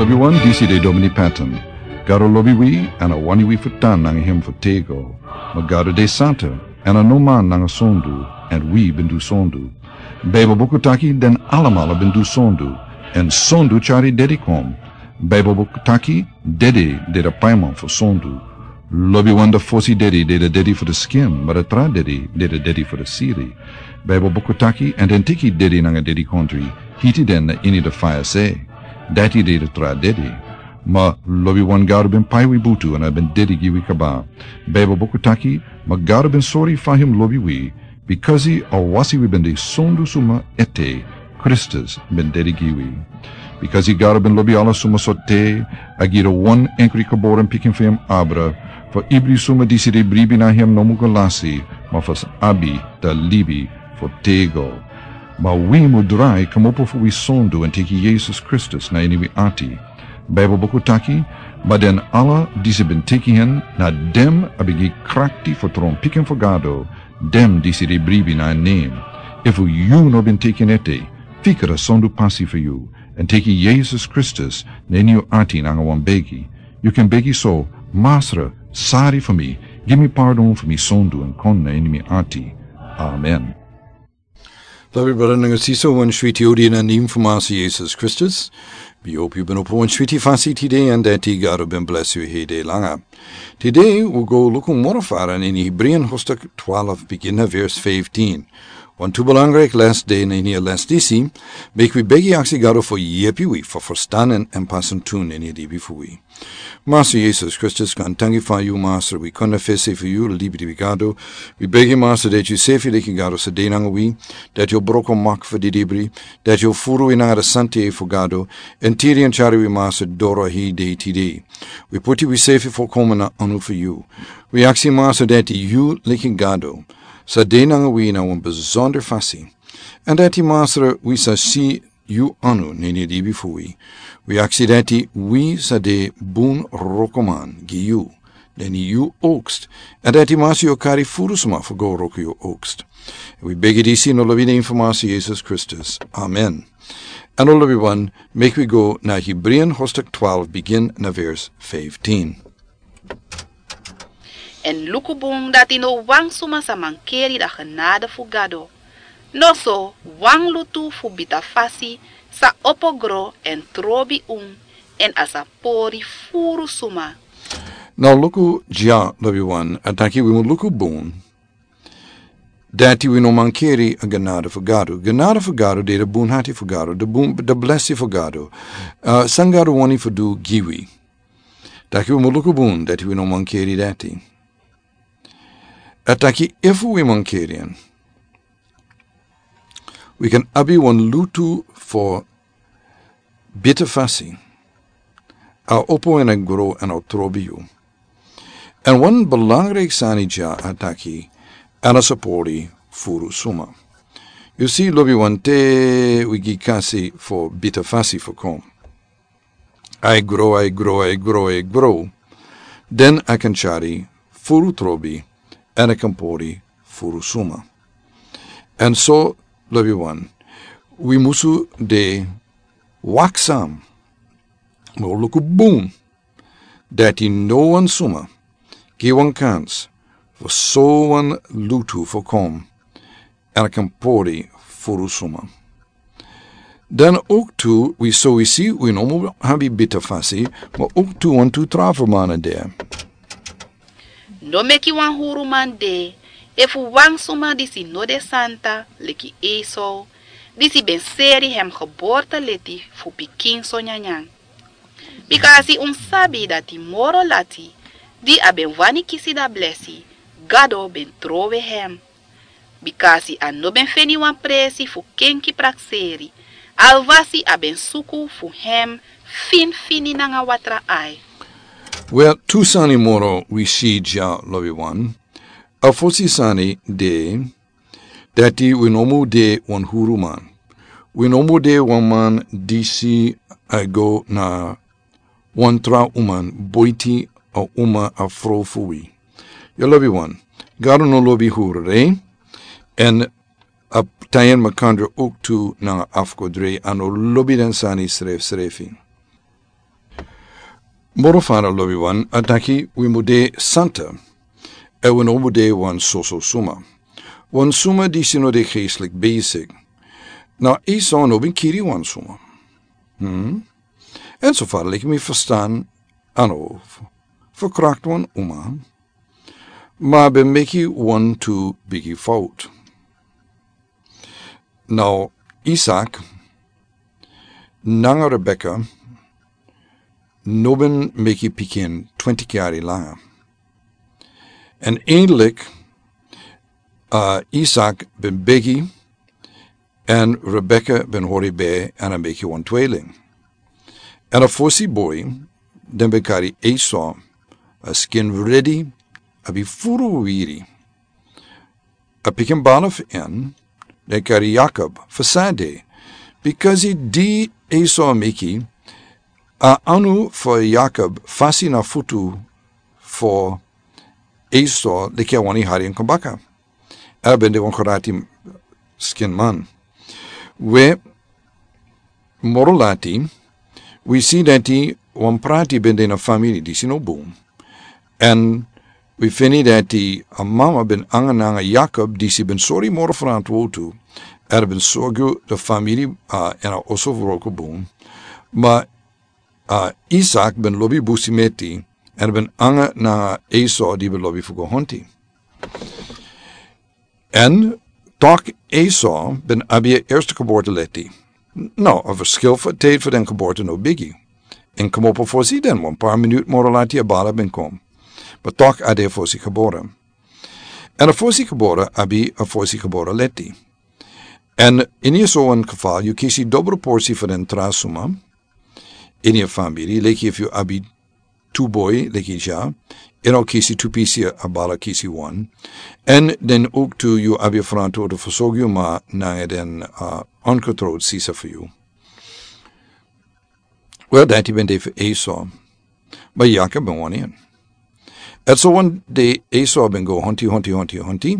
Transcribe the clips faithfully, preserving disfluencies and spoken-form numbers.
Yu wan disi de Domini Patton. Gado lobi wi, èn a wani wi fu tan nanga hem fu tego. Ma Gado de santa, èn a no man nanga sondu, èn wi ben du sondu. Baibel buku taki den alamala ben du sondu, èn sondu tyari dedi kon. Baibel buku taki dedi de de paiman fu sondu. Lobiwan de fosi dedi de de dedi fu de skin, ma de tra dedi de de dedi fu de siri. Baibel buku taki, èn den teki dedi nanga dedi kontri, hiti den na ini de faya se. Dati de de tra dedi. Ma lobiwan Gado ben pai wi butu èn a ben dedi gi wi kaba. Baibel buku taki, ma Gado ben sori fa hem lobi wi, bikasi a wasi wi ben de sondu suma ete, Kristus ben dedi gi wi. Bikasi Gado ben lobi ala suma so te, a gi de wan enkri geboren pikin fu hem abra, fu ibri suma disi de bribi na hem no mu go lasi, ma fu abi da libi fu tego. Ma wi mu drai kmopo fu wi sondu èn teki Yesus Kristus na ini wi ati. Baibel buku taki, ma den ala disi ben teki hen, na dem a ben gi krakti fu tron pikin fu Gado, dem disi de bribi na en nem. Efu yu no ben teki en ete, fika da sondu pasi fu yu, èn teki Yesus Kristus na ini yu ati nanga wan begi. Yu kan begi so, Masra, sari fu mi, gi mi pardon fu mi sondu èn kon na ini mi ati. Amen. Lobi brada nanga sisa, wan switi odi na nem fu Masra Yesus Kristus. Mi hopi yu ben opo wan switi fasi tide èn dati Gado ben blesi yu hede langa. Tide wi go luku moro fara na ini Hebreeën hoofdstuk twaalf, begin na vers vijftien. Wan tu belangrijk les de na ini a les disi, meki wi begi aksi Gado fu yepi wi fu ferstan èn pasen tun na ini a libi fu wi. Masra Yesus Kristus, kan tangi fa yu Masra, wi kon na fesi fu yu libi di wi Gado. Wi begi Masra dati yu sefi leki Gado sa de nanga wi, dati yu broko mak fu di libri, dati yu furu wi nanga da santa fu Gado, èn tiri èn tyari wi Masra doro hede tide. Wi puti wi sefi fu komen na anu fu yu. Wi aksi Masra dati yu leki Gado, sa de nanga wi na wan besonder fasi. Èn dati Masra wi sa si yu anu na ini a libi fu wi. Wi aksi dati wi sa de bun rokoman gi yu, na ini yu oogst. Èn dati Masra yu kari furu suma fu go roko yu oogst. Wi begi disi na lobi nen fu Masra Yesus Kristus. Amen. Èn na lobi wan, meki wi go na Hebreeën hoofdstuk twaalf, begin na vers vijftien. Èn luku bun dati no wan suma sa mankeri da genade fu Gado. Noso, wan lutu fu bita fasi sa opo gro èn trobi un, èn a sa pori furu suma. Now luku dya, lobi wan, a taki wi mu luku bun dati wi no mankeri a genade fu Gado. Genade fu Gado de de bun hati fu Gado, de bun, de blesi fu Gado. Uh, san Gado wani fu du gi wi. Taki wi mu luku bun dati wi no mankeri dati. A taki efu wi mankeri en, wi kan abi wan lutu fu bita fasi. A opo èn a gro èn a trobi yu. Èn wan belangrijk sani dya a taki, èn a sa pori furu suma. Yu si lobi wan te wi gi kasi fu bita fasi fu kon. A e gro, a e gro, a e gro, a e gro. Den a kan tyari furu trobi, èn a kan pori furu suma. Èn so, lobi wan, wi musu de waksam. Wi o luku bun dati no wan suma gi wan kans fu so wan lutu fu kon èn a kan pori furu suma. Dan ook tu wi so wi si wi no mu abi bita fasi, ma ook tu wan tu tra fermana de. No meki wan huruman de, efu wan suma disi no de santa, leki Esau, disi ben seri hem geboorteleti fu pikin so nyanyan. Bikasi un sabi dati moro lati, di a ben wani kisi da blesi, Gado ben trowe hem. Bikasi a no ben feni wan presi fu kenki prakseri, alwasi a ben suku fu hem finfini nanga watra ai. Wel, tu sani moro wi si dya, lobi wan. A fosi sani de, dati wi no mu de wan huruman. Wi no mu de wan man disi a go na wan tra uman boiti a uma a frow fu wi. Yu lobi wan. Gado no lobi hurure, èn a tayen makandra ook tu nanga afkodre, a no lobi den sani srefsrefi. Moro fara lobi wan a taki wi mu de santa. Èn wi no mu de wan soso suma. Wan suma disi no de geestelik bezig. Na Esau no bin kiri wan suma. Hmm? Èn so fara leki mi verstaan, a no verkracht wan uma. Ma a ben meki wan tu bigi fout. Now, Isaac nanga Rebecca no ben meki pikin twintig yari langa. Èn eindelijk, uh, Isaac ben begi, èn Rebecca ben hori bij èn a meki wan tweeling. Èn a fosi boy, den ben kari Esau, a skin ready, a bi furu wiri. A pikin bala fu en, den kari Jakob fu sade. Because di Esau meki, a anu fu Jakob fasi na futu fu Esau leki a wani hari en kon baka. A ben de wan karati skin man. We moro lati, wi si dati wan prati ben de na famiri disi no bun. Èn wi feni dati a mama ben anga nanga Jakob disi ben sori moro frantwotu. A ben sorgu de famiri, uh, èn a oso fu wroko bun. Ma, uh, Isaac ben lobi busi meti. Èn ben anga nanga Esau di ben lobi fu go honti. Èn tok Esau ben abi a eerste geboorte leti. No, a verschil fu tijd fu den geboorte no bigi. Èn komopo fosi den, wan paar minuut moro lati a bala ben kom. Ma tok a de fosi geboren. Èn a fosi geboren abi a fosi geboren leti. Èn ini so wan geval, yu kisi dobro porsi fu den tra suma. Ini a famiri, leki efu yu abi tu boy leki dya, èn a o kisi tu pisi, a bala kisi wan. Èn den ook tu yu abi a frantwotu fu sorgu yu ma nanga den, uh, ongetrouwd sisa fu yu. Wel, dati ben de fu Esau. Ma Jakob ben wani en. Èn so wan dei Esau ben go honti, honti, honti, honti.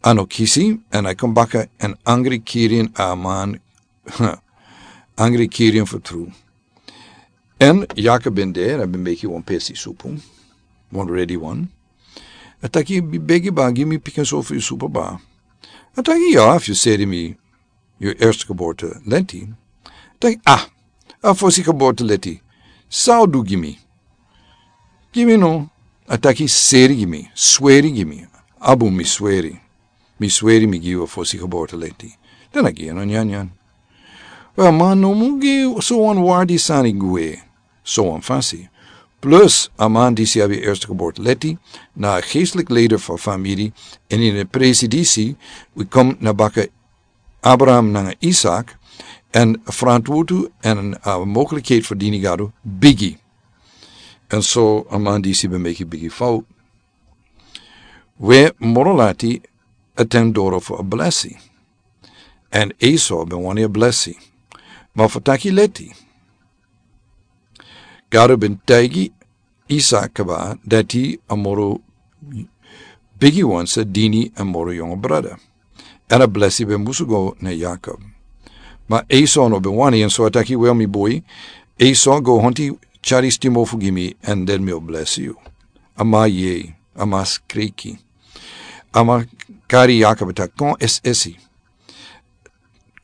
A no kisi, èn a kon baka èn angri kiri en a man, angri kiri en fu tru. Èn Jakob ben de, èn a ben meki wan pesi supu. Wan ready wan. A taki, mi begi ba, gi mi pikin so fu yu supu ba. A taki, ya, efu yu seri mi yu eerste geboorte leti. A taki, ah, a fosi geboorte leti. San a o du gi mi? Gi mi no. A taki, seri gi mi, sweri gi mi. A bun, mi sweri. Mi sweri mi gi yu a fosi geboorte leti. Dan a gi en a nyanyan. Wel, ma no mu gi so wan wardi sani gwe. So wan fasi. Plus, a man disi abi eerste geboorte leti, na a geestelijk leider fu famiri, èn ini a presi disi, wi kon na baka Abraham nanga Isaac, èn frantwotu èn, uh, mogelijkheid fu dini Gado bigi. Èn so a man disi ben meki bigi fout. We moro lati a ten doro fu a blesi. Èn Esau ben wani a blesi. Ma fu taki leti. Gado ben taigi Isaac kaba dati a moro bigi wan sa dini a moro yongo brada. Èn a blesi ben musu go na Jakob. Ma Esau no ben wani, èn so a taki, wel, mi boy, Esau, go honti tyari stimo fu gi mi, èn den mi o blesi yu. A man yei, a man skreki. A man kari Jakob taki, kon esi esi.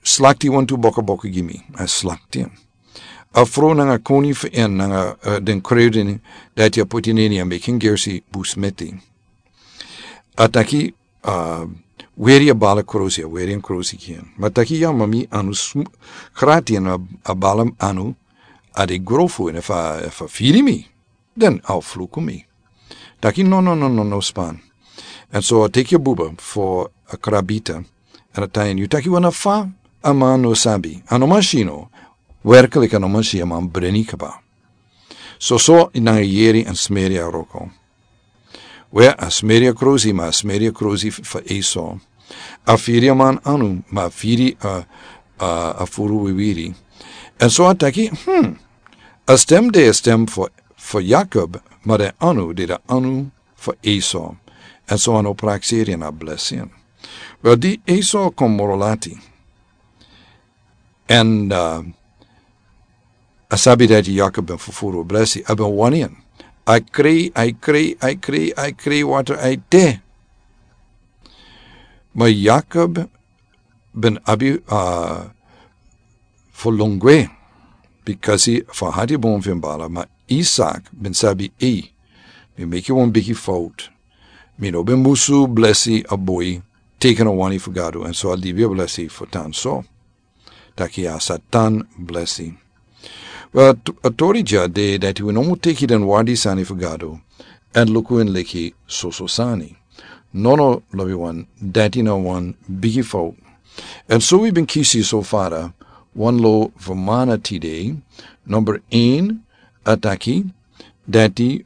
Slakti wantu bokoboko gi mi. A slakti en. A frow nanga koni fu en nanga, eh, den kruiden dati a poti na ini a meki en gersi bun smeti. A taki, ah, weri a bala krosi, a weri en krosi gi en. Ma a taki, ya, ma mi anu sm-, grati èn a, a bala anu a de grofu èn efu a, efu a firi mi. Den a o fluku mi. Taki, no, no, no, no, no span. Èn so a teki a buba fu a krabita. Èn a taigi en, yu taki wan na fa, a man no sabi. A no man si no. Werkelijk a no man si, a man breni kaba. So so nanga yeri èn smeri a wroko. We a smeri a krosi, ma a smeri a krosi f-, fu Esau. A firi a man anu, ma a firi a, a, a furu wiwiri. Èn so a taki, hmm, a stem de a stem fu, fu Jakob, ma den anu de a anu fu Esau. Èn so a no prakseri èn a blesi en. Wel, di Esau kon moro lati. Èn, uh, A sabi dati Yakob ben fufuru blesi, a ben wani en. A krei, a krei, a krei, a krei water a ete. Ma Yakob ben abi, a, fu lon gwe, bikasi fu a hati bon fu en bala, ma Isak ben sabi, ei, mi meki wan bigi fout. Mi no ben musu blesi a boi, teki na wani fu Gado, èn so a libi a blesi fu tan so. Taki a sa tan blesi. Wel, a t-, a tori dya de dati wi no mu teki den wardi sani fu Gado, èn luku en leki soso sani. Nono, lobiwan, dati na wan bigi fout. Èn so wi ben kisi so fara wan lo fu mana tide, number een, a taki, dati,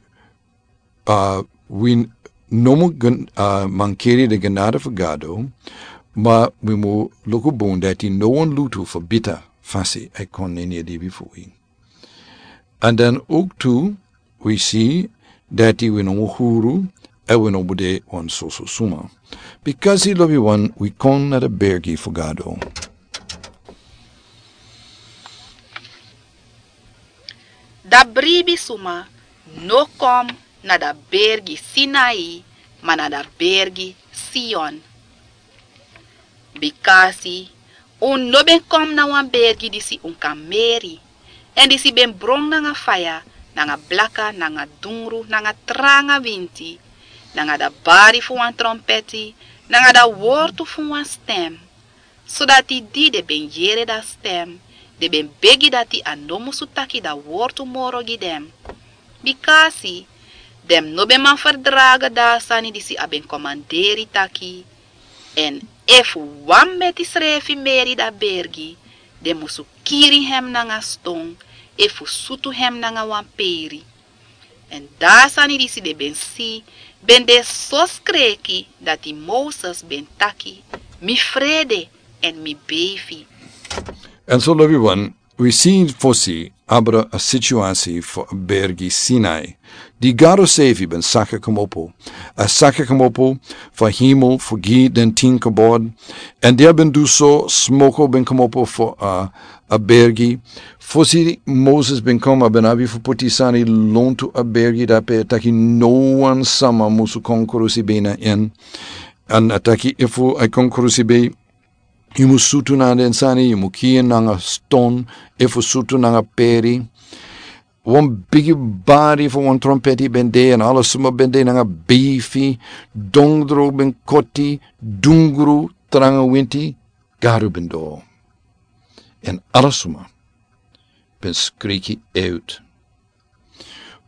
a, wi no mu gen-, a, mankeri den genade fu Gado, ma wi mu luku bun dati no wan lutu fu bita fasi e kon na ini a libi fu wi. Èn dan ook tu, wi si dati wi no mu huru, èn wi no mu de wan soso suma. Bikasi lobiwan wi kon na den bergi fu Gado. Da bribi suma no kon na da bergi Sinai, ma na da bergi Sion. Bikasi un no ben kon na wan bergi disi un kan meri, èn disi ben bron nanga faya, nanga blaka, nanga dungru, nanga tranga winti, nanga da bari fu wan trompeti, nanga da wortu fu wan stem. Sodati di den ben yere da stem, den ben begi dati a no musu taki da wortu moro gi den. Bikasi den no ben man ferdrage da sani disi a ben komanderi taki, èn efu wan meti srefi meri da bergi, den musu kiri hem nanga ston, efu sutu hem nanga wan peri. Èn da sani disi den ben si, ben de so skreki dati Moses ben taki, mi frede èn mi beifi. Èn so lobiwan, wi si fosi abra a situasi fu a bergi Sinai. Di Gado sefi ben saka komopo. A saka komopo fu a hemel fu gi den tin kobod. Èn di a ben du so, smoko ben komopo fu a, a bergi. Fosi Moses ben kon a ben abi fu poti sani lontu a bergi dape, taki no wan sama musu kon krusi bei na en. Èn a taki efu a kon krusi bei, yu mu sutu nanga den sani, yu mu kiri en nanga ston, efu sutu nanga peri. Wan bigi bari fu wan trompeti ben de, èn ala suma ben de nanga beifi, dondro ben koti, dungru, tranga winti, Gado ben doro. Èn ala suma ben skreki uit.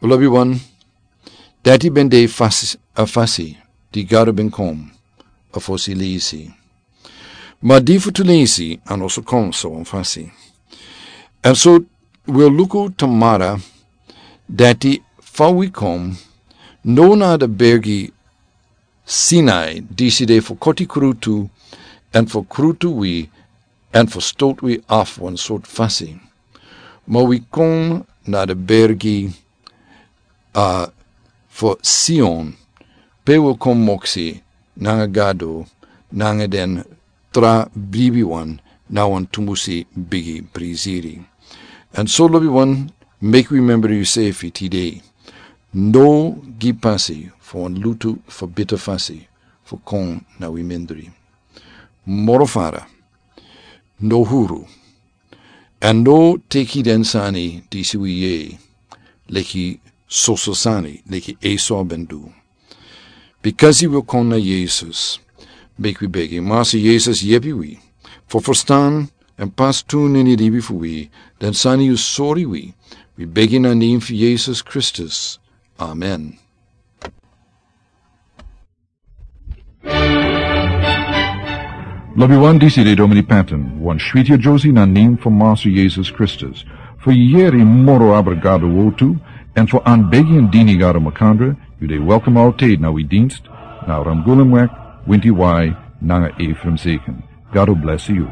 Lobiwan, dati ben de fasi, a fasi di Gado ben kon a fosi leisi. Ma di fu tu leisi a no so kon so wan fasi. Èn so wi o luku tamara dati fa wi kon no na da bergi Sinai, disi de fu koti krutu, èn fu krutu wi, èn fu stot wi af wan sort fasi. Ma wi kon na da bergi, a, fu Sion, pe wi kon moksi nanga Gado, nanga den tra bribiwan, na wan tumusi bigi prisiri. Èn so lobiwan, meki wi membri yusefi tide. No gi pasi fu wan lutu fu bita fasi fu kon na wi mindri. Moro fara, no huru. Èn no teki den sani disi wi yere leki soso sani, leki Esau ben du. Bikasi wi o kon na Yesus, meki wi begi, Masa Yesus, yepi wi fu ferstan èn pasi tu na ini libi fu wi den sani yu sori wi. Wi begi na nen fu Yesus Kristus. Amen. Lobiwan, disi de Domini Patton, wan switi a Josie na nen fu Masa Yesus Kristus. Fu yere moro abra Gado wortu, èn fu anbegi èn dini Gado makandra, yu de welkom altijd na wi dienst, na Ramgulumweg, Winti Wai, nanga Ephraim Zeken. Gado bless yu.